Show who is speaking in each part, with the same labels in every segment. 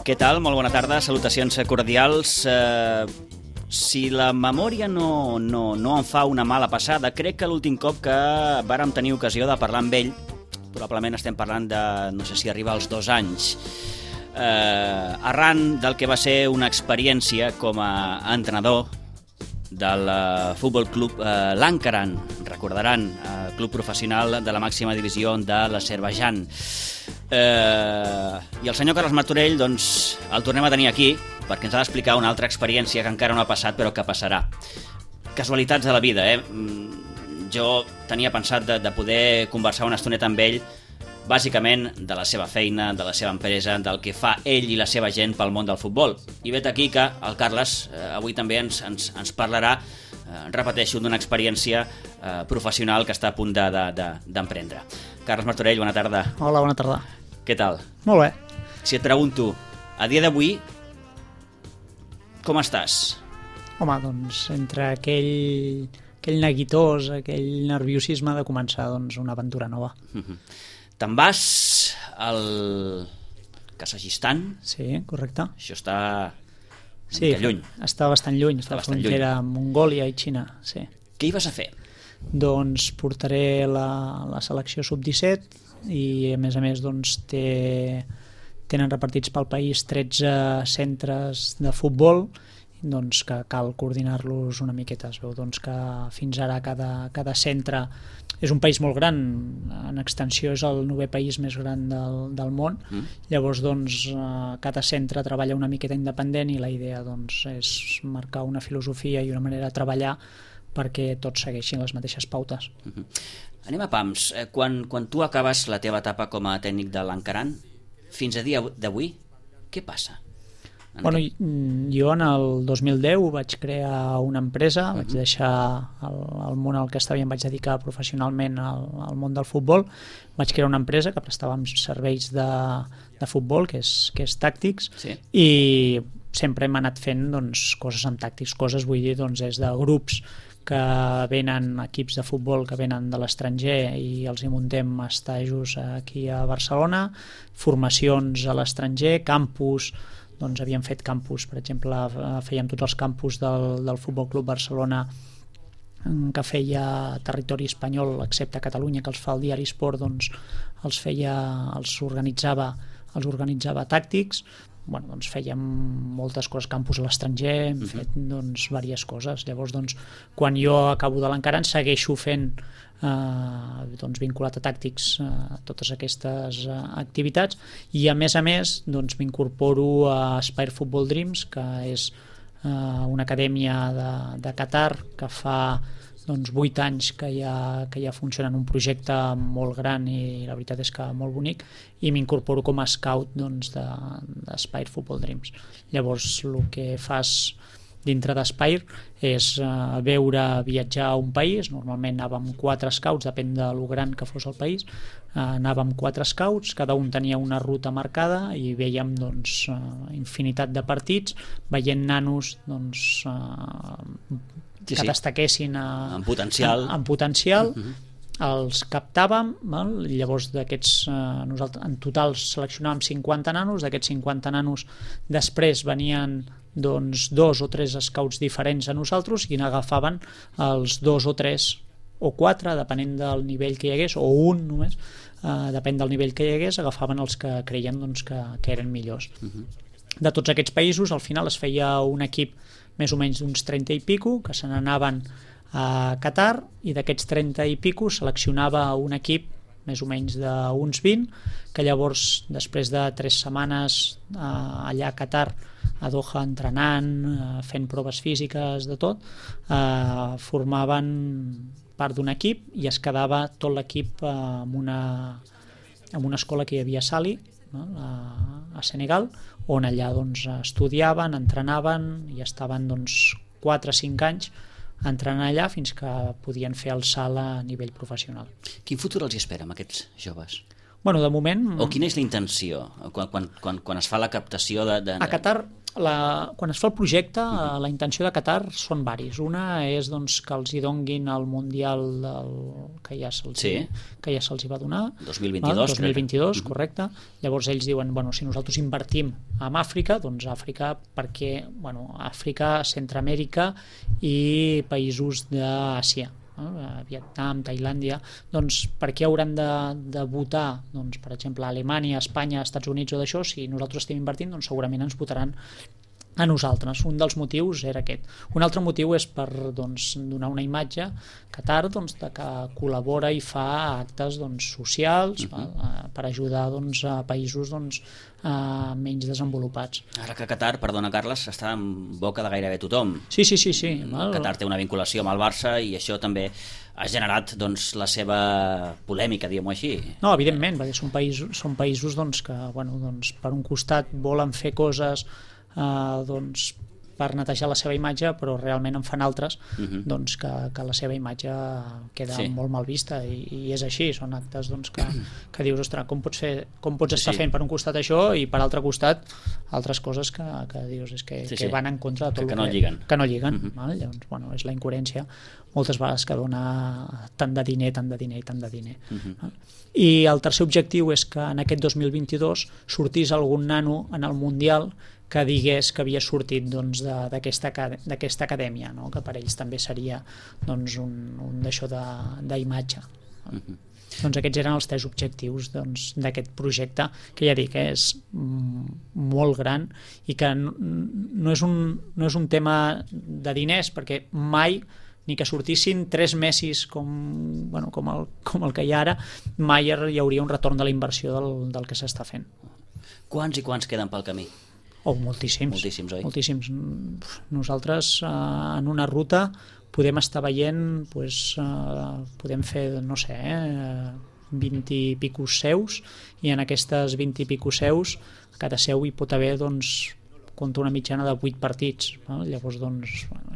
Speaker 1: Què tal? Molt bona tarda, salutacions cordials. Si la memòria no em fa una mala passada, crec que l'últim cop que vàrem tenir ocasió de parlar amb ell, probablement estem parlant de, no sé si arriba als 2 anys, arran del que va ser una experiència com a entrenador del Futbol Club Lankaran, recordaran, club professional de la màxima divisió de l'Azerbaidjan. I el senyor Carles Martorell, doncs, el tornem a tenir aquí perquè ens ha d'explicar una altra experiència que encara no ha passat però que passarà. Casualitats de la vida, Jo tenia pensat de poder conversar una estoneta amb ell, bàsicament de la seva feina, de la seva empresa, del que fa ell i la seva gent pel món del futbol. I vet aquí que el Carles avui també ens parlarà, repeteixo, d'una experiència professional que està a punt d'emprendre. Carles Martorell, bona tarda.
Speaker 2: Hola, bona tarda.
Speaker 1: Què tal?
Speaker 2: Molt bé.
Speaker 1: Si et pregunto, a dia d'avui, com estàs?
Speaker 2: Home, doncs, entre aquell neguitós, aquell nerviosisme de començar una aventura nova.
Speaker 1: Te'n vas al Kazakhstan?
Speaker 2: Sí, correcte.
Speaker 1: Això està lluny.
Speaker 2: Està bastant lluny, està a la frontera amb Mongòlia i Xina, sí.
Speaker 1: Què hi vas a fer?
Speaker 2: Doncs portaré la selecció sub-17 i a més doncs tenen repartits pel país 13 centres de futbol, doncs que cal coordinar-los una miqueta. Es veu doncs que fins ara cada centre és un país molt gran, en extensió és el 9è país més gran del món. Llavors doncs cada centre treballa una miqueta independent i la idea doncs és marcar una filosofia i una manera de treballar perquè tots segueixin les mateixes pautes.
Speaker 1: Anem a pams. Quan tu acabes la teva etapa com a tècnic de l'Ankaran, fins a dia d'avui, què passa?
Speaker 2: Bueno, jo en el 2010 vaig crear una empresa, vaig deixar el món al que estava i em vaig dedicar professionalment al món del futbol. Vaig crear una empresa que prestava serveis de futbol, que és Tàctics, sí. I sempre hem anat fent coses amb Tàctics. Coses, vull dir, des de grups que venen, equips de futbol que venen de l'estranger i els hi muntem estajos aquí a Barcelona, formacions a l'estranger, campus. Doncs havíem fet campus, per exemple, fèiem tots els campus del Futbol Club Barcelona que feia territori espanyol, excepte Catalunya, que els fa el diari Esport, doncs els organitzava Tàctics. Bueno, doncs fèiem moltes coses, campus a l'estranger, hem fet diverses coses. Llavors, quan jo acabo de l'Ankaran, segueixo fent vinculat a Tàctics totes aquestes activitats i a més m'incorporo a Aspire Football Dreams, que és una acadèmia de Qatar que fa 8 anys que ja funciona en un projecte molt gran i la veritat és que molt bonic, i m'incorporo com a scout d'Aspire Football Dreams. Llavors el que fas dintre d'Aspire és viatjar a un país. Normalment anàvem 4 scouts, depèn de lo gran que fos el país, anàvem 4 scouts, cada un tenia una ruta marcada i vèiem infinitat de partits, veient nanos que destaquessin en potencial. Els captàvem, llavors nosaltres en total seleccionàvem 50 nanos, d'aquests 50 nanos després venien 2 o 3 scouts diferents a nosaltres i n'agafaven els 2 o 3 o 4, depenent del nivell que hi hagués, o un només, depèn del nivell que hi hagués, agafaven els que creien que eren millors. De tots aquests països, al final es feia un equip més o menys d'uns 30 i pico, que se n'anaven a Qatar, i d'aquests 30 i pico seleccionava un equip més o menys d'uns 20, que llavors, després de 3 setmanes allà a Qatar, a Doha, entrenant, fent proves físiques, de tot, formaven part d'un equip i es quedava tot l'equip en una escola que hi havia a Sali, a Senegal, on allà estudiaven, entrenaven i estaven 4 o 5 anys entrenant allà fins que podien fer el salt a nivell professional.
Speaker 1: Quin futur els espera amb aquests joves?
Speaker 2: Bueno, de moment...
Speaker 1: O quina és la intenció quan es fa la captació de...
Speaker 2: A Qatar quan es fa el projecte, la intenció de Qatar són varis. Una és doncs, que els hi donguin el Mundial que ja se'ls va donar. 2022, correcte. Llavors ells diuen, si nosaltres invertim en Àfrica, doncs Àfrica, perquè Àfrica, Centroamèrica i països d'Àsia, Vietnam, Tailàndia, doncs per què hauran de votar, doncs, per exemple, Alemanya, Espanya, Estats Units o d'això? Si nosaltres estem invertint, doncs segurament ens votaran a nosaltres. Un dels motius era aquest. Un altre motiu és per donar una imatge Qatar de que col·labora i fa actes socials per ajudar a països menys desenvolupats.
Speaker 1: Ara que Qatar, perdona Carles, està en boca de gairebé tothom.
Speaker 2: Sí.
Speaker 1: Qatar té una vinculació amb el Barça i això també ha generat la seva polèmica, diguem-ho així.
Speaker 2: No, evidentment, perquè són països que per un costat volen fer coses per netejar la seva imatge, però realment en fan altres que la seva imatge queda molt mal vista, i és així. Són actes que dius, ostres, com pots estar fent per un costat això i per altre costat altres coses que dius que van en contra de tot
Speaker 1: que no lliguen.
Speaker 2: Llavors, és la incoherència moltes vegades que dona tant de diner. I el tercer objectiu és que en aquest 2022 sortís algun nano en el Mundial que digués que havia sortit d'aquesta acadèmia, que per ells també seria un d'això d'imatge. Doncs aquests eren els 3 objectius d'aquest projecte, que ja dic, és molt gran i que no és un tema de diners, perquè mai, ni que sortissin 3 Messis com el que hi ha ara, mai hi hauria un retorn de la inversió del que s'està fent.
Speaker 1: Quants i quants queden pel camí?
Speaker 2: Moltíssims,
Speaker 1: oi?
Speaker 2: Moltíssims. Nosaltres en una ruta podem estar veient, podem fer, 20 i picos seus, i en aquestes 20 i picos seus, cada seu hi pot haver, compta una mitjana de 8 partits. Llavors,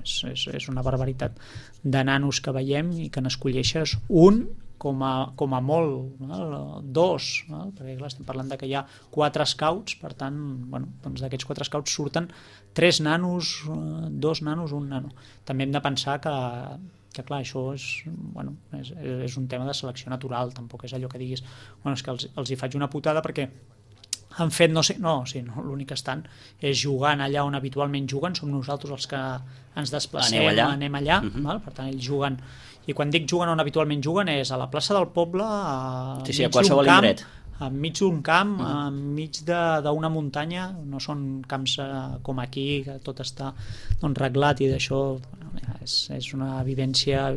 Speaker 2: és una barbaritat de nanos que veiem i que n'escolleixes un com a molt, 2, perquè clar, estem parlant que hi ha 4 scouts, per tant, d'aquests 4 scouts surten 3 nanos, 2 nanos, 1 nano. També hem de pensar que clar, això és un tema de selecció natural, tampoc és allò que diguis, és que els hi faig una putada perquè han fet l'únic que estan és jugant allà on habitualment juguen, som nosaltres els que ens desplacem, anem allà. Per tant ells juguen, i quan dic juguen on habitualment juguen és a la plaça del poble,
Speaker 1: a qualsevol indret,
Speaker 2: enmig d'un camp, enmig d'una muntanya. No són camps com aquí, que tot està reglat, i d'això és una vivència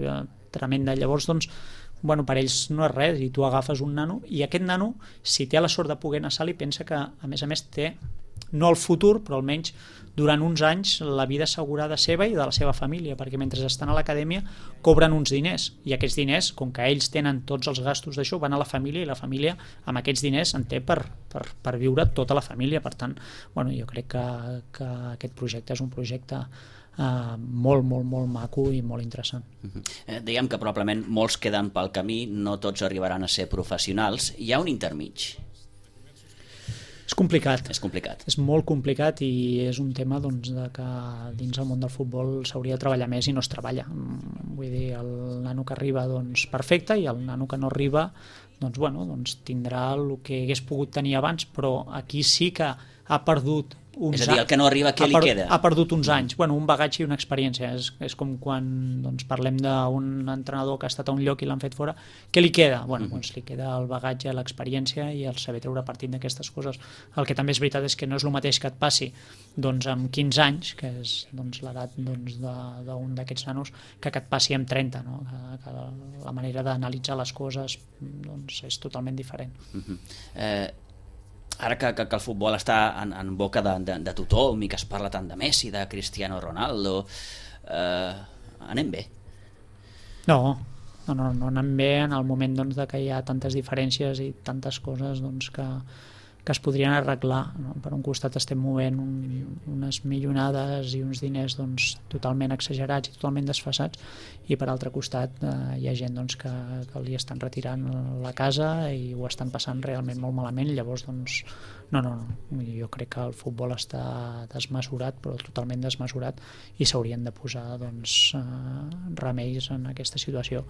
Speaker 2: tremenda. Llavors, per ells no és res, i tu agafes un nano, i aquest nano, si té la sort de poder anar a Sali, pensa que a més té, no el futur, però almenys durant uns anys, la vida assegurada seva i de la seva família, perquè mentre estan a l'acadèmia cobren uns diners, i aquests diners, com que ells tenen tots els gastos d'això, van a la família, i la família amb aquests diners en té per viure tota la família. Per tant, jo crec que aquest projecte és un projecte molt, molt, molt maco i molt interessant.
Speaker 1: Diguem que probablement molts queden pel camí, no tots arribaran a ser professionals. Hi ha un intermig?
Speaker 2: És complicat.
Speaker 1: És
Speaker 2: molt complicat, i és un tema de que dins el món del futbol s'hauria de treballar més i no es treballa. Vull dir, el nano que arriba perfecte, i el nano que no arriba tindrà el que hagués pogut tenir abans, però aquí sí que ha perdut uns anys.
Speaker 1: És a dir, el que no arriba, què li queda?
Speaker 2: Ha perdut uns anys, un bagatge i una experiència. És com quan parlem d'un entrenador que ha estat a un lloc i l'han fet fora. Què li queda? Li queda el bagatge, l'experiència i el saber treure partit d'aquestes coses. El que també és veritat és que no és el mateix que et passi amb 15 anys, que és l'edat d'un d'aquests nanos, que et passi amb 30. Que la manera d'analitzar les coses és totalment diferent.
Speaker 1: Ara que el futbol està en boca de tothom i que es parla tant de Messi, de Cristiano Ronaldo, anem bé?
Speaker 2: No anem bé en el moment de que hi ha tantes diferències i tantes coses que es podrien arreglar, no? Per un costat estem movent unes milionades i uns diners doncs, totalment exagerats i totalment desfasats, i per altre costat hi ha gent doncs, que li estan retirant la casa i ho estan passant realment molt malament. Llavors doncs, no, jo crec que el futbol està desmesurat, però totalment desmesurat, i s'haurien de posar doncs, remeis en aquesta situació,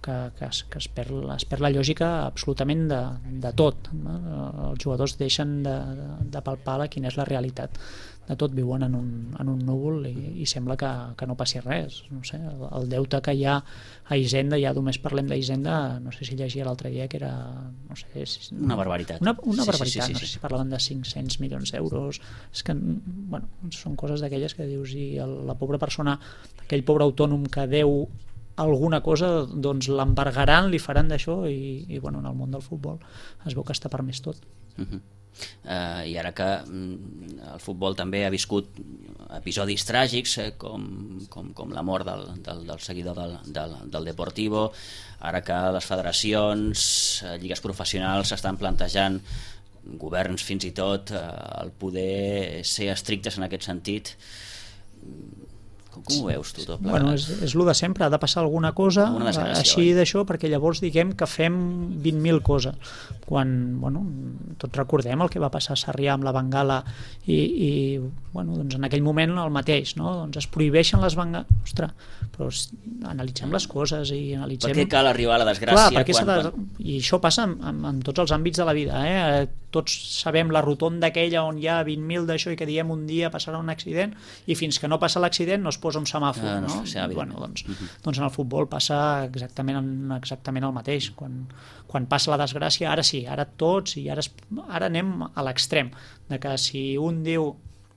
Speaker 2: que es perd la lògica absolutament de tot, no? Els jugadors deixen de palpar quina és la realitat de tot, viuen en un núvol i sembla que no passi res. No sé, el deute que hi ha a Hisenda, ja només parlem d'Hisenda, no sé si llegia l'altre dia que era, no sé,
Speaker 1: una barbaritat.
Speaker 2: Una barbaritat, no sé si parlaven de 500 milions d'euros. És que, bueno, són coses d'aquelles que dius, i la pobra persona, aquell pobre autònom que deu alguna cosa, doncs l'embargaran, li faran d'això, i bueno, en el món del futbol es veu que està permès tot.
Speaker 1: I ara que el futbol també ha viscut episodis tràgics, com la mort del seguidor del Deportivo, ara que les federacions, lligues professionals s'estan plantejant, governs fins i tot, el poder ser estrictes en aquest sentit, com ho veus tu tot plegat?
Speaker 2: Bueno, és el de sempre, ha de passar alguna cosa així d'això, perquè llavors diguem que fem 20.000 coses, quan, bueno, tots recordem el que va passar a Sarrià amb la bengala, i bueno, doncs en aquell moment el mateix, no? Doncs es prohibeixen les bengales. Ostres, però analitzem les coses i analitzem...
Speaker 1: Per què cal arribar a la desgràcia?
Speaker 2: Clar, i això passa en tots els àmbits de la vida, tots sabem la rotonda aquella on hi ha 20.000 d'això i que diem un dia passarà un accident, i fins que no passa l'accident no es posa un semàfor, no? Bueno, doncs en el futbol passa exactament el mateix. Quan passa la desgràcia, ara sí, ara tots, i ara anem a l'extrem de que si un diu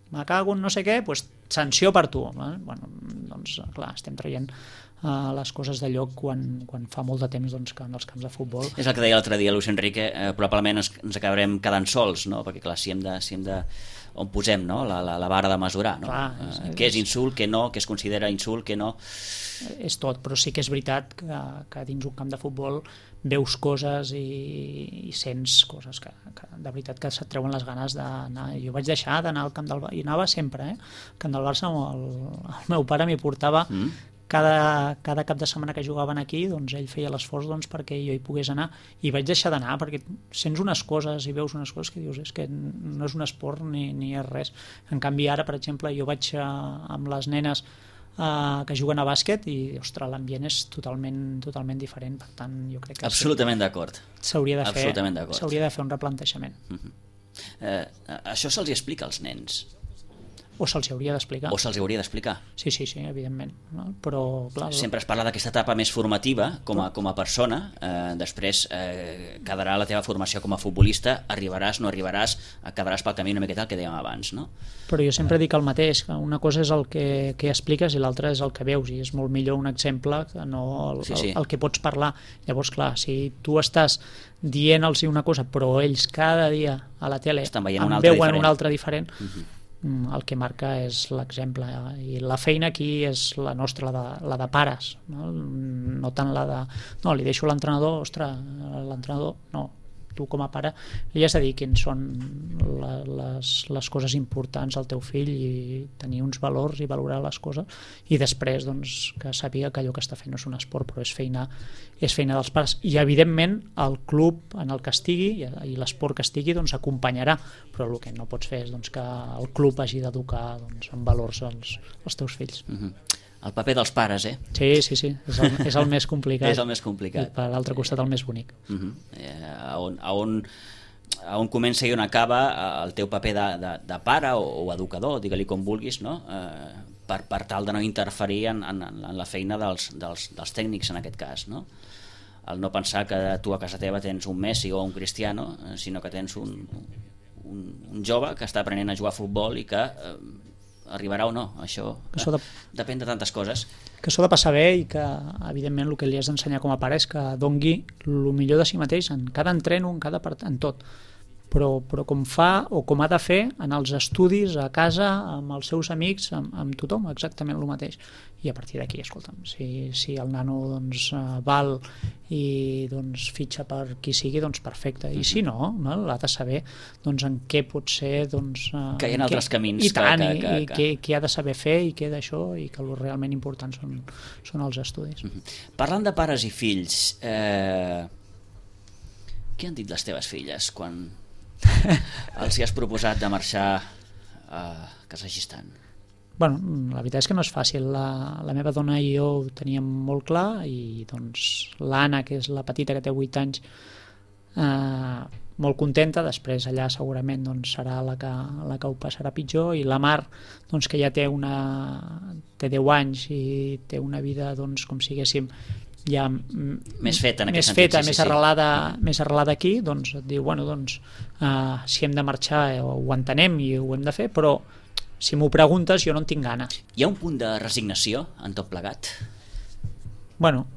Speaker 2: me cago en no sé què, doncs sanció per tu. Bueno, doncs clar, estem traient les coses de lloc quan fa molt de temps doncs, que en els camps de futbol...
Speaker 1: És el que deia l'altre dia Luis Enrique, probablement ens acabarem quedant sols, no? Perquè clar, si hem de on posem, no? la vara de mesurar, no? Clar, què és insult, què no, què es considera insult, què no...
Speaker 2: És tot, però sí que és veritat que dins un camp de futbol veus coses i sents coses que de veritat que se't treuen les ganes d'anar. Jo vaig deixar d'anar al camp del Barça, i anava sempre, al camp del Barça, el meu pare m'hi portava cada cap de setmana que jugaven aquí, doncs ell feia l'esforç doncs, perquè jo hi pogués anar, i vaig deixar d'anar perquè sents unes coses i veus unes coses que dius és que no és un esport ni és res. En canvi ara, per exemple, jo vaig amb les nenes que juguen a bàsquet i, ostres, l'ambient és totalment diferent, per tant jo crec que
Speaker 1: absolutament d'acord.
Speaker 2: S'hauria de fer un replantejament.
Speaker 1: Això se'ls explica als nens?
Speaker 2: O se'ls hauria d'explicar. Sí, evidentment. No? Però, clar,
Speaker 1: sempre es parla d'aquesta etapa més formativa com a persona, després quedarà la teva formació com a futbolista, arribaràs, no arribaràs, quedaràs pel camí una miqueta el que dèiem abans, no?
Speaker 2: Però jo sempre dic el mateix, que una cosa és el que expliques i l'altra és el que veus, i és molt millor un exemple que no el que pots parlar. Llavors, clar, si tu estàs dient-los una cosa, però ells cada dia a la tele en veuen una altra diferent, el que marca és l'exemple, i la feina aquí és la nostra, la de pares, no tant la de no, li deixo l'entrenador, ostres, l'entrenador no, tu com a pare li has de dir quins són les coses importants al teu fill i tenir uns valors i valorar les coses, i després doncs, que sàpiga que allò que està fent no és un esport, però és feina dels pares, i evidentment el club en el que estigui i l'esport que estigui doncs acompanyarà, però el que no pots fer és doncs, que el club hagi d'educar doncs, en valors els teus fills.
Speaker 1: El paper dels pares,
Speaker 2: Sí, és el més complicat.
Speaker 1: És el més complicat.
Speaker 2: I per l'altre costat el més bonic.
Speaker 1: A on comença i on acaba el teu paper de pare o educador, digue-li com vulguis, no? Per tal de no interferir en la feina dels tècnics en aquest cas, no? El no pensar que tu a casa teva tens un Messi o un Cristiano, sinó que tens un jove que està aprenent a jugar a futbol i que arribarà o no, això depèn de tantes coses.
Speaker 2: Que s'ho ha de passar bé, i que evidentment el que li has d'ensenyar com a pare és que dongui el millor de si mateix en cada entreno, en tot, però com fa o com ha de fer en els estudis, a casa, amb els seus amics, amb tothom, exactament el mateix. I a partir d'aquí, escolta'm, si el nano doncs, val i doncs, fitxa per qui sigui, doncs perfecte. I si no, l'ha de saber doncs, en què pot ser... Doncs,
Speaker 1: que hi ha altres camins.
Speaker 2: I tant, què ha de saber fer i què d'això, i que el realment important són els estudis.
Speaker 1: Parlant de pares i fills, què han dit les teves filles quan els hi has proposat de marxar a Kazakhstan?
Speaker 2: Bueno, la veritat és que no és fàcil. La meva dona i jo ho teníem molt clar, i doncs l'Anna, que és la petita, que té 8 anys, molt contenta. Després allà segurament doncs, serà la que ho passarà pitjor, i la Mar, doncs, que ja té 10 anys i té una vida doncs, com si haguéssim ja
Speaker 1: més feta en aquest sentit,
Speaker 2: més arrelada aquí, doncs et diu, bueno, doncs, si hem de marxar ho entenem i ho hem de fer, però si m'ho preguntes jo no en tinc ganes.
Speaker 1: Hi ha un punt de resignació en tot plegat?
Speaker 2: Bueno,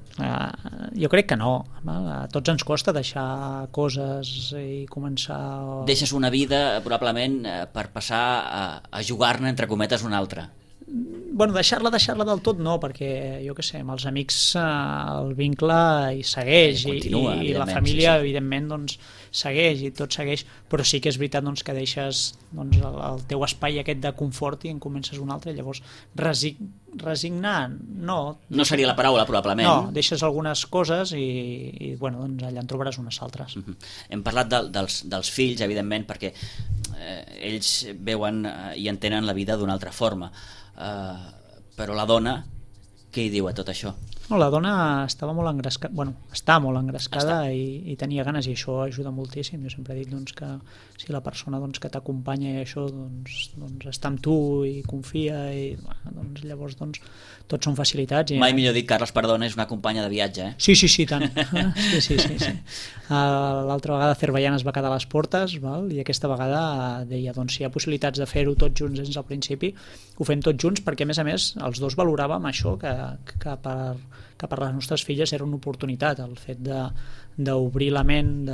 Speaker 2: jo crec que no. A tots ens costa deixar coses i començar...
Speaker 1: Deixes una vida probablement per passar a jugar-ne entre cometes una altra.
Speaker 2: Bueno, deixar-la del tot no, perquè jo què sé, amb els amics el vincle hi segueix,
Speaker 1: continua,
Speaker 2: i la família evidentment doncs, segueix, i tot segueix, però sí que és veritat doncs, que deixes doncs, el teu espai aquest de confort i en comences un altre. Llavors resignar no
Speaker 1: seria la paraula probablement.
Speaker 2: No, deixes algunes coses i bueno, doncs allà en trobaràs unes altres.
Speaker 1: Hem parlat dels fills, evidentment, perquè ells veuen i entenen la vida d'una altra forma. Però la dona, què hi diu a tot això?
Speaker 2: No, la dona estava molt engrescada, està molt engrescada i tenia ganes, i això ajuda moltíssim. Jo sempre he dit doncs, que si la persona doncs, que t'acompanya i això doncs, està amb tu i confia, i doncs, llavors doncs, tots són facilitats.
Speaker 1: Mai millor dit, Carles, perdona, és una companya de viatge, eh?
Speaker 2: Sí, tant. Sí. L'altra vegada Azerbaiyán es va quedar a les portes, i aquesta vegada deia, doncs, si hi ha possibilitats de fer-ho tots junts des del principi, ho fem tots junts, perquè a més els dos valoràvem això, que per les nostres filles era una oportunitat, el fet d'obrir la ment,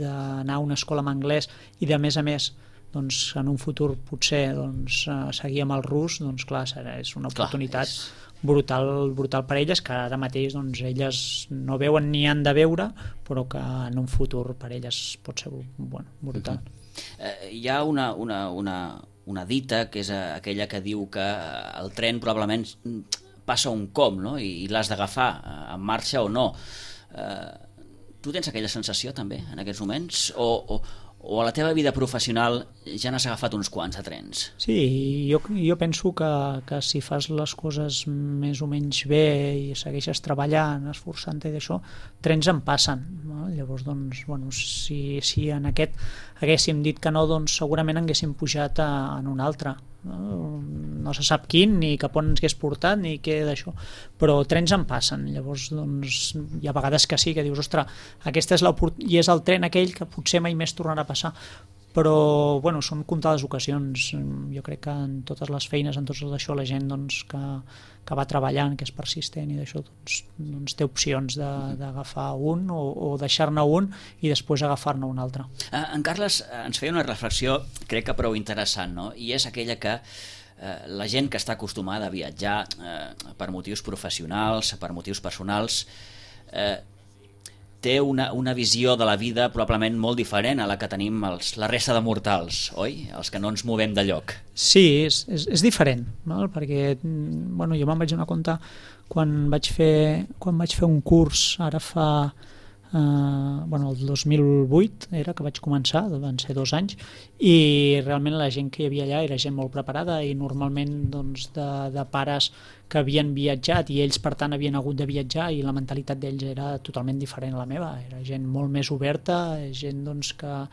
Speaker 2: d'anar a una escola en anglès, i de més a més doncs, en un futur potser doncs, seguir amb el rus, doncs clar, és una oportunitat brutal per elles, que ara mateix doncs, elles no veuen ni han de veure, però que en un futur per elles pot ser brutal.
Speaker 1: Hi ha una dita, que és aquella que diu que el tren probablement passa un com, no? I l'has d'agafar en marxa o no. Tu tens aquella sensació també en aquests moments? O a la teva vida professional ja n'has agafat uns quants de trens?
Speaker 2: Sí, jo penso que si fas les coses més o menys bé i segueixes treballant, esforçant-te i d'això, trens en passen. Llavors, doncs, si en aquest haguéssim dit que no, doncs segurament haguéssim pujat en un altre. No se sap quin, ni cap on ens hagués portat, ni què d'això, però trens en passen. Llavors doncs, hi ha vegades que sí, que dius, ostres, aquesta és l'oportunitat, i és el tren aquell que potser mai més tornarà a passar, però són comptades ocasions. Jo crec que en totes les feines, en tot això, la gent doncs, que va treballant, que és persistent i d'això, doncs té opcions d'agafar un o deixar-ne un i després agafar-ne un altre.
Speaker 1: En Carles ens feia una reflexió, crec que prou interessant, no? I és aquella que la gent que està acostumada a viatjar per motius professionals, per motius personals, té una visió de la vida probablement molt diferent a la que tenim la resta de mortals, oi? Els que no ens movem de lloc.
Speaker 2: Sí, és diferent, perquè jo me'n vaig donar compte quan vaig fer un curs, ara fa el 2008 era que vaig començar, van ser 2 anys, i realment la gent que hi havia allà era gent molt preparada i normalment doncs, de pares que havien viatjat i ells per tant havien hagut de viatjar, i la mentalitat d'ells era totalment diferent a la meva, era gent molt més oberta, gent doncs, que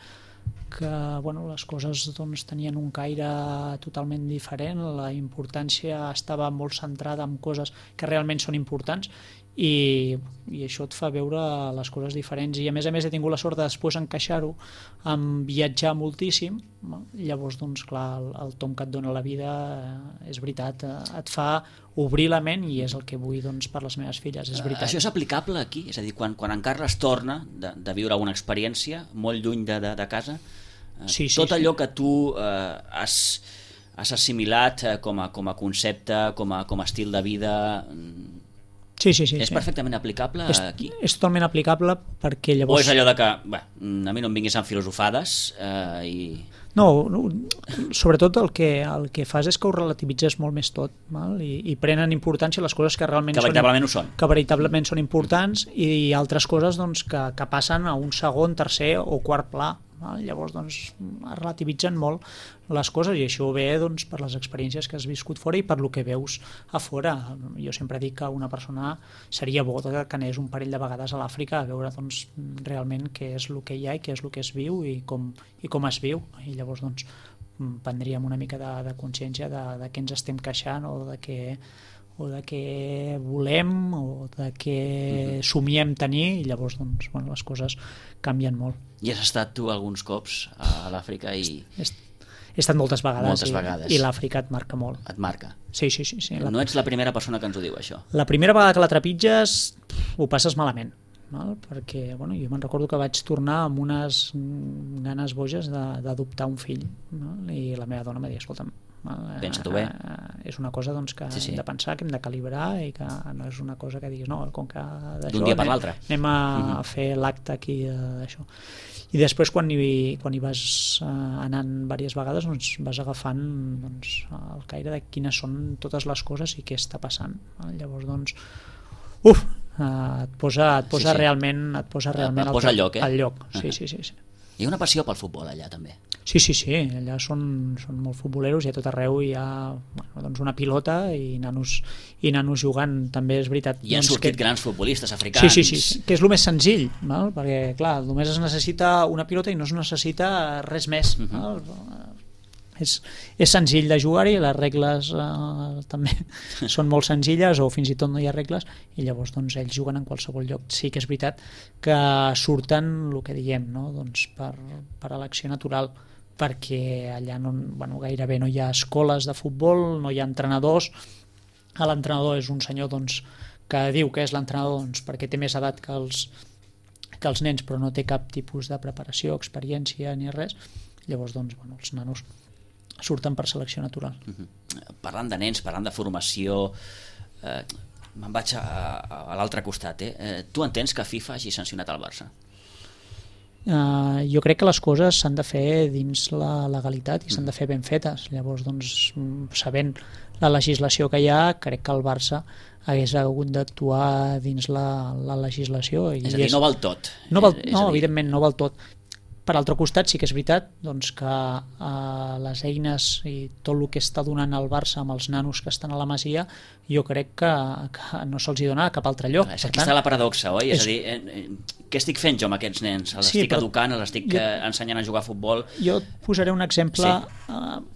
Speaker 2: les coses doncs, tenien un caire totalment diferent, la importància estava molt centrada en coses que realment són importants, i això et fa veure les coses diferents, i a més he tingut la sort de després encaixar-ho amb viatjar moltíssim, llavors doncs clar, el tom que et dona la vida és veritat, et fa obrir la ment, i és el que vull doncs per les meves filles, és veritat.
Speaker 1: Això és aplicable aquí? És a dir, quan en Carles torna de viure una experiència molt lluny de casa, tot allò que tu has assimilat com a concepte, com a estil de vida, és perfectament aplicable aquí?
Speaker 2: És totalment aplicable, perquè llavors...
Speaker 1: O és allò de que, a mi no em vinguis amb filosofades i...
Speaker 2: No, sobretot el que fas és que ho relativitzes molt més tot, val? I prenen importància les coses que realment
Speaker 1: que
Speaker 2: veritablement són importants, i altres coses doncs, que passen a un segon, tercer o quart pla. Llavors doncs, es relativitzen molt les coses, i això ve doncs, per les experiències que has viscut fora i per lo que veus a fora. Jo sempre dic que una persona seria bo que anés un parell de vegades a l'Àfrica a veure doncs, realment què és el que hi ha i què és el que es viu i com es viu, i llavors doncs, prendríem una mica de consciència de què ens estem queixant, o de què volem, o de què somiem tenir, i llavors doncs, les coses canvien molt.
Speaker 1: I has estat tu alguns cops a l'Àfrica?
Speaker 2: He estat moltes vegades. I l'Àfrica et marca molt.
Speaker 1: Et marca?
Speaker 2: Sí.
Speaker 1: No ets la primera persona que ens ho diu, això.
Speaker 2: La primera vegada que la trepitges ho passes malament, perquè jo me'n recordo que vaig tornar amb unes ganes boges d'adoptar un fill, i la meva dona em va dir, escolta'm,
Speaker 1: pensa tu bé.
Speaker 2: És una cosa doncs, que hem de pensar, que hem de calibrar, i que no és una cosa que diguis com que
Speaker 1: d'un dia per l'altre
Speaker 2: anem a fer l'acte aquí d'això. I després quan hi vas anant diverses vegades doncs, vas agafant doncs, el caire de quines són totes les coses i què està passant. Llavors doncs et posa realment
Speaker 1: al lloc,
Speaker 2: al lloc. Sí.
Speaker 1: Hi ha una passió pel futbol allà també.
Speaker 2: Sí, allà són molt futboleros, i a tot arreu hi ha doncs una pilota i nanos jugant, també és veritat.
Speaker 1: I han sortit grans futbolistes africans.
Speaker 2: Sí, que és el més senzill, perquè clar, només es necessita una pilota i no es necessita res més. És senzill de jugar-hi, les regles també són molt senzilles, o fins i tot no hi ha regles, i llavors doncs, ells juguen en qualsevol lloc. Sí que és veritat que surten el que diem, doncs, per elecció natural, perquè allà gairebé no hi ha escoles de futbol, no hi ha entrenadors. L'entrenador és un senyor doncs, que diu que és l'entrenador doncs, perquè té més edat que els nens, però no té cap tipus de preparació, experiència ni res. Llavors doncs, els nanos surten per selecció natural.
Speaker 1: Parlant de nens, parlant de formació, me'n vaig a l'altre costat. Tu entens que FIFA hagi sancionat el Barça?
Speaker 2: Jo crec que les coses s'han de fer dins la legalitat i s'han de fer ben fetes. Llavors, doncs, sabent la legislació que hi ha, crec que el Barça hagués hagut d'actuar dins la legislació.
Speaker 1: És a dir, no val tot.
Speaker 2: No, evidentment no val tot. Per altre costat, sí que és veritat doncs, que les eines i tot el que està donant el Barça amb els nanos que estan a la Masia, jo crec que no se'ls dona a cap altre lloc.
Speaker 1: Aquí està la paradoxa, oi? És a dir, què estic fent jo amb aquests nens? Els estic educant, els estic ensenyant a jugar a futbol?
Speaker 2: Jo posaré un exemple,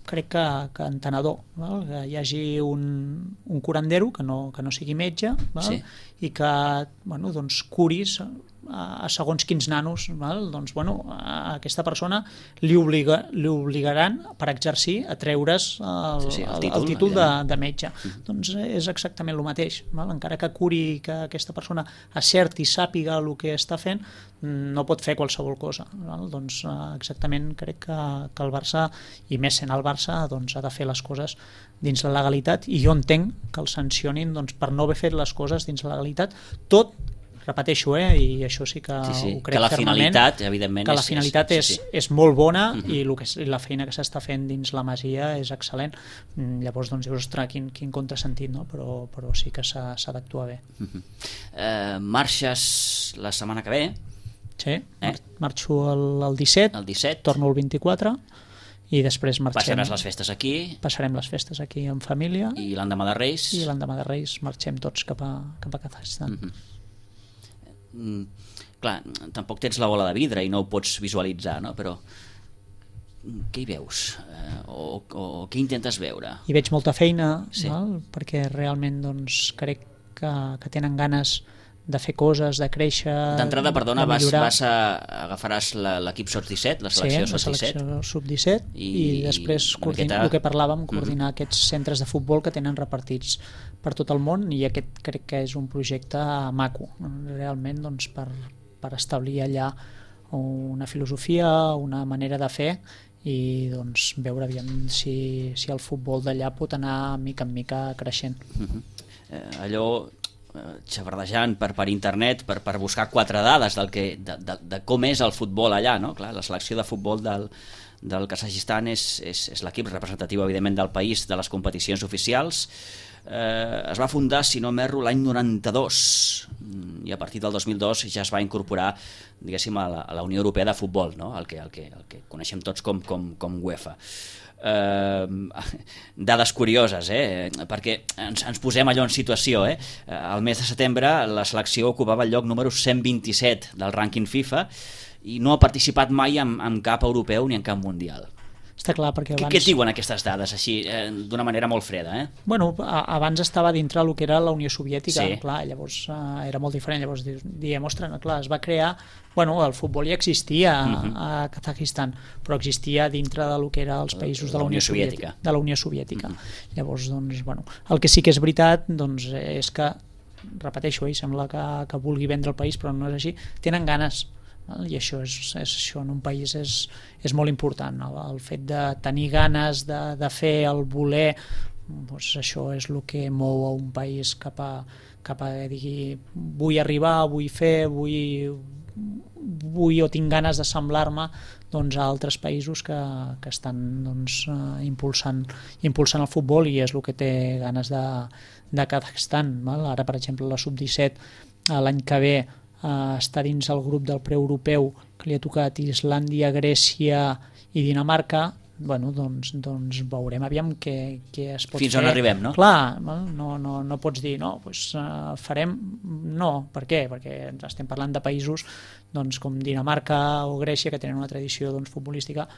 Speaker 2: crec que entenedor, que hi hagi un curandero que no sigui metge, i que doncs, curis a segons quins nanos, doncs, a aquesta persona li obligaran per exercir a treure's el títol de metge. Doncs és exactament el mateix. Encara que curi, que aquesta persona acerti i sàpiga el que està fent, no pot fer qualsevol cosa. Doncs exactament crec que el Barça, i més sent el Barça, doncs, ha de fer les coses dins la legalitat, i jo entenc que el sancionin per no haver fet les coses dins la legalitat, tot repeteixo, i això sí que ho crec
Speaker 1: que la
Speaker 2: fermament,
Speaker 1: finalitat, evidentment,
Speaker 2: que la finalitat és molt bona, i la feina que s'està fent dins la Masia és excel·lent. Llavors doncs dius, ostres, quin contrasentit, no? Però sí que s'ha d'actuar bé.
Speaker 1: Marxes la setmana que ve?
Speaker 2: Sí, marxo el 17, torno el 24, i després marxem.
Speaker 1: Passaràs les festes aquí?
Speaker 2: Passarem les festes aquí en família.
Speaker 1: I l'endemà de Reis?
Speaker 2: I l'endemà de Reis marxem tots cap a Kazakhstan.
Speaker 1: Clar, tampoc tens la bola de vidre i no ho pots visualitzar, no? Però què hi veus? O què intentes veure?
Speaker 2: Hi veig molta feina, perquè realment doncs, crec que tenen ganes de fer coses, de créixer,
Speaker 1: d'entrada, perdona,
Speaker 2: de millorar.
Speaker 1: agafaràs l'equip sub-17, la selecció
Speaker 2: sub-17? Sí, la selecció sub-17 i després el que parlàvem, coordinar aquests centres de futbol que tenen repartits per tot el món, i aquest crec que és un projecte maco, realment, doncs, per establir allà una filosofia, una manera de fer, i doncs veure aviam si el futbol d'allà pot anar mica en mica creixent.
Speaker 1: Allò xavardejant per internet per buscar 4 dades de com és el futbol allà, no? Clar, la selecció de futbol del Kazakhstan és l'equip representatiu, evidentment, del país, de les competicions oficials. Es va fundar, si no m'erro, l'any 92, i a partir del 2002 ja es va incorporar, diguéssim, a la Unió Europea de Futbol, no? el que coneixem tots com UEFA. Dades curioses, perquè ens posem allò en situació. El mes de setembre la selecció ocupava el lloc número 127 del rànquing FIFA i no ha participat mai en cap europeu ni en cap mundial.
Speaker 2: Està clar, perquè abans...
Speaker 1: Què et diuen aquestes dades, així, d'una manera molt freda?
Speaker 2: Bueno, abans estava dintre el que era la Unió Soviètica,
Speaker 1: sí.
Speaker 2: Clar, llavors era molt diferent, llavors diem, ostres, clar, es va crear... Bueno, el futbol ja existia a Kazakhstan, però existia dintre del que era els països de la Unió Soviètica. De la Unió Soviètica. Llavors, doncs, bueno, el que sí que és veritat, doncs, és que, repeteixo, sembla que vulgui vendre el país, però no és així, tenen ganes, i això en un país és molt important, el fet de tenir ganes de fer, el voler, doncs això és el que mou a un país cap a dir, vull arribar, vull fer, vull o tinc ganes de semblar-me, doncs, a altres països que estan, doncs, impulsant el futbol, i és el que té ganes de Kazakhstan. Ara, per exemple, la sub-17 l'any que ve està dins el grup del preeuropeu, que li ha tocat Islàndia, Grècia i Dinamarca. Bueno, doncs veurem aviam què es pot fer.
Speaker 1: Fins on arribem, no?
Speaker 2: Clar, no pots dir, no, doncs farem... No, per què? Perquè estem parlant de països, doncs, com Dinamarca o Grècia, que tenen una tradició, doncs, futbolística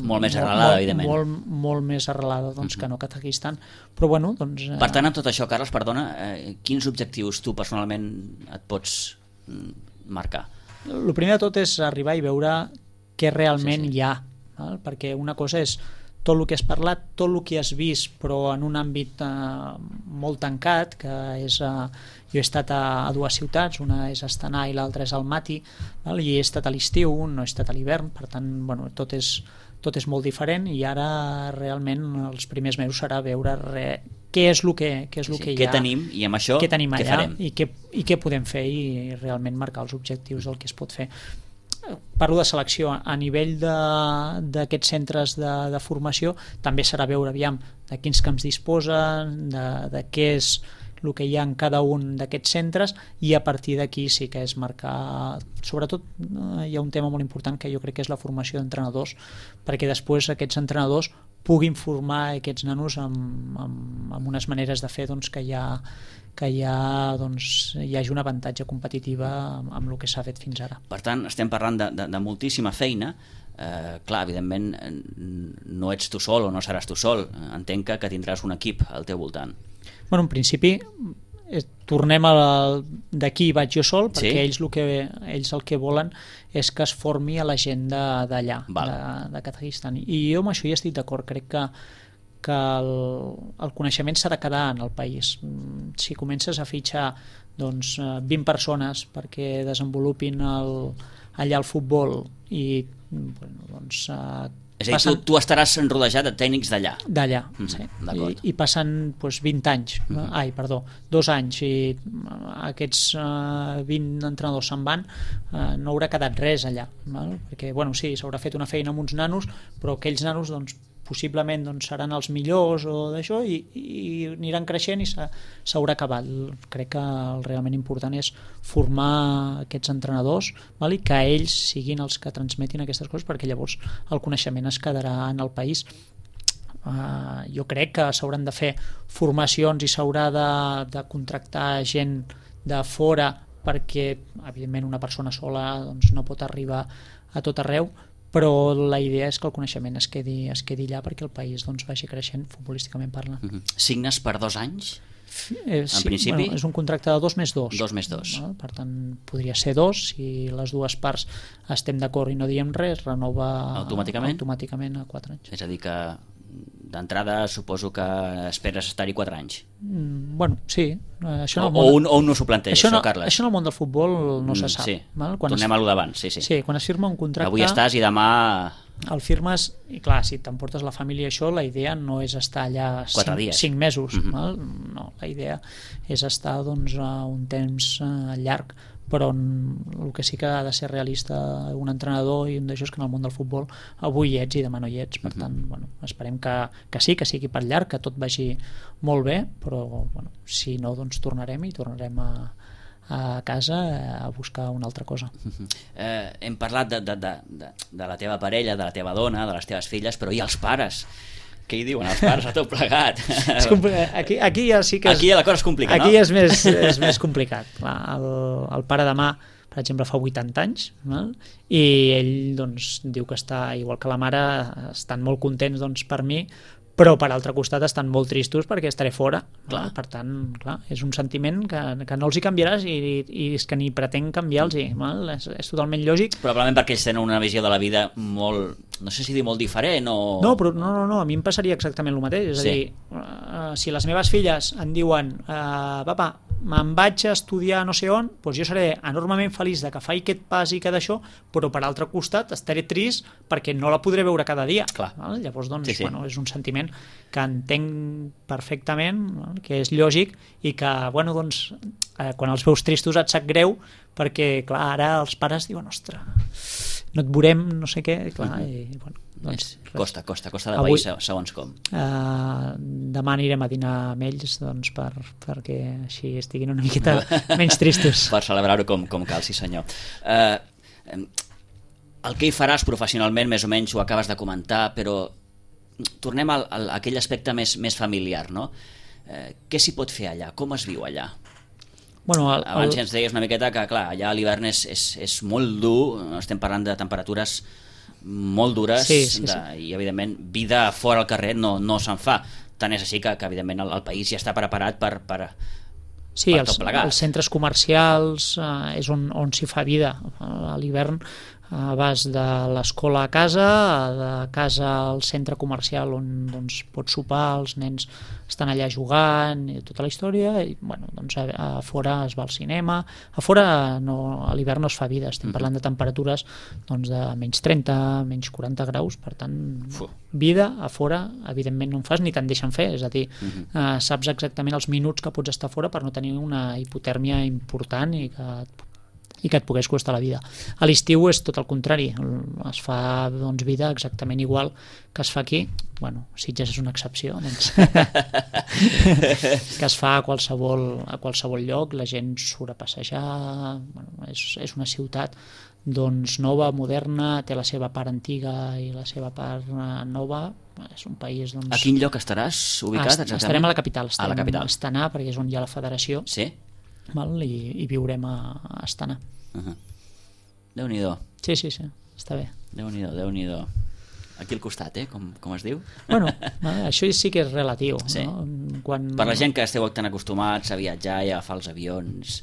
Speaker 1: molt més arrelada, evidentment.
Speaker 2: Molt més arrelada, doncs, que no Kazakhstan. Però, bueno, doncs...
Speaker 1: Per tant, amb tot això, Carles, perdona, quins objectius tu personalment et pots marcar?
Speaker 2: El primer de tot és arribar i veure què realment hi ha, perquè una cosa és tot el que has parlat, tot el que has vist, però en un àmbit molt tancat, que és... Jo he estat a 2 ciutats, una és Astana i l'altra és Almaty, i he estat a l'estiu, no he estat a l'hivern, per tant, bueno, tot és molt diferent, i ara realment els primers mesos serà veure què és el que hi ha,
Speaker 1: què tenim, i amb això què farem,
Speaker 2: i què podem fer, i realment marcar els objectius del que es pot fer. Parlo de selecció. A nivell d'aquests centres de formació també serà veure aviam de quins camps disposen, de què és el que hi ha en cada un d'aquests centres, i a partir d'aquí sí que és marcar. Sobretot hi ha un tema molt important que jo crec que és la formació d'entrenadors, perquè després aquests entrenadors puguin formar aquests nanos amb unes maneres de fer, doncs, que hi hagi un avantatge competitiva amb el que s'ha fet fins ara.
Speaker 1: Per tant, estem parlant de moltíssima feina. Clar, evidentment no ets tu sol o no seràs tu sol, entenc que tindràs un equip al teu voltant.
Speaker 2: Bueno, en principi tornem d'aquí vaig jo sol, perquè ells el que volen és que es formi a la gent d'allà, de Kazakhstan, i jo amb això hi estic d'acord. Crec que el coneixement s'ha de quedar en el país. Si comences a fitxar 20 persones perquè desenvolupin allà el futbol, i
Speaker 1: és a dir, tu estaràs rodejat de tècnics d'allà.
Speaker 2: D'allà, sí. I passen 20 anys, 2 anys, i aquests 20 entrenadors se'n van, no haurà quedat res allà, perquè sí, s'haurà fet una feina amb uns nanos, però aquells nanos possiblement seran els millors o d'això, i aniran creixent i s'haurà acabat. Crec que el realment important és formar aquests entrenadors, i que ells siguin els que transmetin aquestes coses, perquè llavors el coneixement es quedarà en el país. Jo crec que s'hauran de fer formacions i s'haurà de contractar gent de fora, perquè evidentment una persona sola no pot arribar a tot arreu, però la idea és que el coneixement es quedi allà perquè el país vagi creixent futbolísticament parlant.
Speaker 1: Signes per 2 anys? en principi?
Speaker 2: És un contracte de 2 més 2.
Speaker 1: 2 més 2.
Speaker 2: Per tant, podria ser 2. Si les dues parts estem d'acord i no diem res, renova automàticament a 4 anys.
Speaker 1: És a dir que d'entrada suposo que esperes estar-hi 4 anys.
Speaker 2: Bueno, sí.
Speaker 1: O un no s'ho planteja, Carles.
Speaker 2: Això en el món del futbol no se sap.
Speaker 1: Sí. Tornem a lo d'abans.
Speaker 2: Sí, quan es firma un contracte...
Speaker 1: Avui estàs i demà...
Speaker 2: El firmes, i clar, si t'emportes la família, això, la idea no és estar allà 5 mesos. No, la idea és estar un temps llarg, però el que sí que ha de ser realista un entrenador i un d'això és que en el món del futbol avui hi ets i demà no hi ets. Per tant, esperem que sí, que sigui per llarg, que tot vagi molt bé, però si no, doncs tornarem a casa a buscar una altra cosa.
Speaker 1: Hem parlat de la teva parella, de la teva dona, de les teves filles, però i els pares? Què hi diuen els pares a tot plegat?
Speaker 2: Aquí ja sí que
Speaker 1: aquí la cosa és complicada,
Speaker 2: aquí és més complicat. El pare demà, per exemple, fa 80 anys, i ell diu que està, igual que la mare, estan molt contents per mi, però per altre costat estan molt tristos perquè estaré fora. Per tant, és un sentiment que no els hi canviaràs i és que ni pretenc canviar-los. És totalment lògic.
Speaker 1: Probablement perquè ells tenen una visió de la vida molt, no sé si dir molt diferent o...
Speaker 2: No, a mi em passaria exactament el mateix. És a dir, si les meves filles em diuen papa, me'n vaig a estudiar no sé on, doncs jo seré enormement feliç de que faci aquest pas i que d'això, però per altre costat estaré trist perquè no la podré veure cada dia. Llavors, és un sentiment que entenc perfectament, que és lògic i que, quan els veus tristos et sap greu perquè, clar, ara els pares diuen, ostres, no et veurem, no sé què, clar,
Speaker 1: costa de país, segons com.
Speaker 2: Demà anirem a dinar amb ells perquè així estiguin una miqueta menys tristos.
Speaker 1: Per celebrar-ho com cal, sí senyor. El que hi faràs professionalment, més o menys ho acabes de comentar, però tornem a aquell aspecte més familiar, no? Què s'hi pot fer allà? Com es viu allà? Abans ens deies una miqueta que, clar, allà l'hivern és molt dur, estem parlant de temperatures molt dures i, evidentment, vida fora al carrer no se'n fa. Tant és així que evidentment, el país ja està preparat per tot plegat.
Speaker 2: Els centres comercials és on s'hi fa vida. A l'hivern vas de l'escola a casa, de casa al centre comercial on pots sopar, els nens estan allà jugant i tota la història, i a fora es va al cinema. A fora a l'hivern no es fa vida, estem parlant de temperatures de menys 30, menys 40 graus, per tant vida a fora evidentment no en fas ni te'n deixen fer, és a dir, saps exactament els minuts que pots estar fora per no tenir una hipotèrmia important i que et pogués costar la vida. A l'estiu és tot el contrari, es fa vida exactament igual que es fa aquí. Sitges és una excepció, que es fa a qualsevol lloc, la gent surt a passejar, és una ciutat nova, moderna, té la seva part antiga i la seva part nova. És un país...
Speaker 1: A quin lloc estaràs ubicat exactament?
Speaker 2: Estarem a la capital, estarem a Astana, perquè és on hi ha la federació.
Speaker 1: Sí?
Speaker 2: I viurem a Astana.
Speaker 1: Déu-n'hi-do.
Speaker 2: Sí, està bé.
Speaker 1: Déu-n'hi-do. Aquí al costat, com es diu?
Speaker 2: Això sí que és relatiu.
Speaker 1: Sí.
Speaker 2: No?
Speaker 1: Per la gent que esteu tan acostumats a viatjar i a agafar els avions...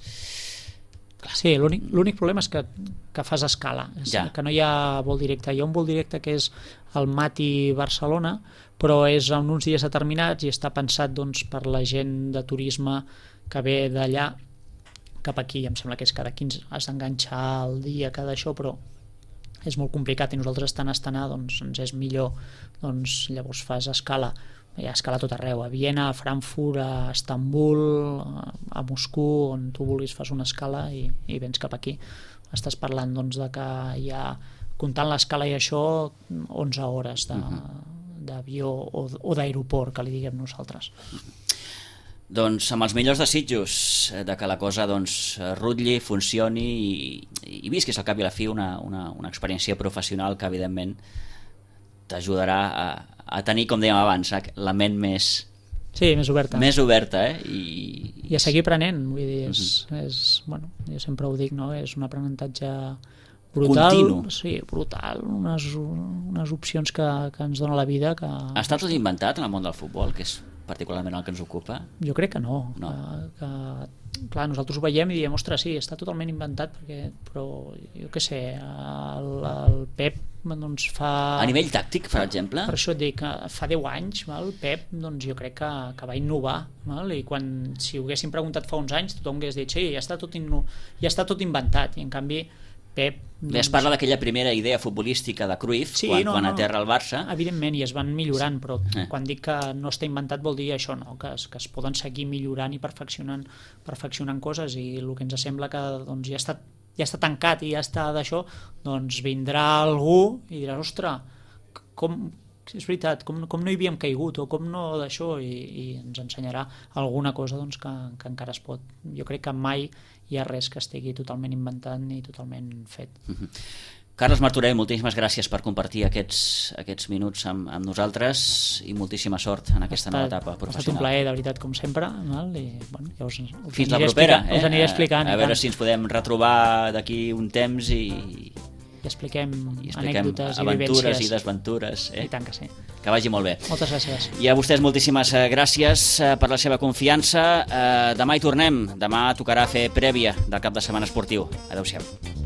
Speaker 2: Sí, l'únic problema és que fas escala, que no hi ha vol directe. Hi ha un vol directe que és el Mati-Barcelona, però és en uns dies determinats i està pensat per la gent de turisme que ve d'allà cap aquí. Em sembla que és cada 15, has d'enganxar el dia, cada això, però és molt complicat i nosaltres estant a Astana ens és millor, llavors fas escala. Hi ha escala a tot arreu, a Viena, a Frankfurt, a Istanbul, a Moscou, on tu vulguis fas una escala i vens cap aquí. Estàs parlant de que hi ha, comptant l'escala i això, 11 hores d'avió o d'aeroport, que li diguem nosaltres.
Speaker 1: Doncs amb els millors desitjos de que la cosa rutlli, funcioni i visquis al cap i a la fi una experiència professional que evidentment t'ajudarà a tenir, com dèiem abans, la ment més
Speaker 2: oberta.
Speaker 1: Més oberta, I
Speaker 2: a seguir aprenent, vull dir, jo sempre ho dic, no? És un aprenentatge brutal.
Speaker 1: Continu.
Speaker 2: Sí, brutal, unes opcions que ens dona la vida que...
Speaker 1: Està tot inventat en el món del futbol, que és particularment el que ens ocupa?
Speaker 2: Jo crec que no. Clar, nosaltres ho veiem i diem, ostres, sí, està totalment inventat, però jo què sé, el Pep doncs fa...
Speaker 1: A nivell tàctic, per exemple?
Speaker 2: Per això et dic, fa 10 anys, el Pep doncs jo crec que va innovar, i si ho haguéssim preguntat fa uns anys tothom hagués dit, sí, ja està tot inventat, i en canvi Pep...
Speaker 1: Es parla d'aquella primera idea futbolística de Cruyff, quan aterra el Barça.
Speaker 2: Evidentment, i es van millorant, però quan dic que no està inventat vol dir això, no? Que es poden seguir millorant i perfeccionant coses, i el que ens sembla que doncs, ja està tancat i ja està d'això, doncs vindrà algú i diràs, ostres, és veritat, com no hi havíem caigut o com no d'això, i ens ensenyarà alguna cosa doncs, que encara es pot. Jo crec que mai hi ha res que estigui totalment inventat ni totalment fet.
Speaker 1: Carles Martorell, moltíssimes gràcies per compartir aquests minuts amb nosaltres i moltíssima sort en aquesta nova etapa professional.
Speaker 2: Ha estat un plaer, de veritat, com sempre, i ja
Speaker 1: fins la propera,
Speaker 2: us aniré explicant.
Speaker 1: A veure si ens podem retrobar d'aquí un temps i
Speaker 2: expliquem anècdotes i vivències.
Speaker 1: Aventures i desventures.
Speaker 2: I tant que sí.
Speaker 1: Que vagi molt bé.
Speaker 2: Moltes gràcies.
Speaker 1: I a vostès moltíssimes gràcies per la seva confiança. Demà hi tornem. Demà tocarà fer prèvia del cap de setmana esportiu. Adéu-siau.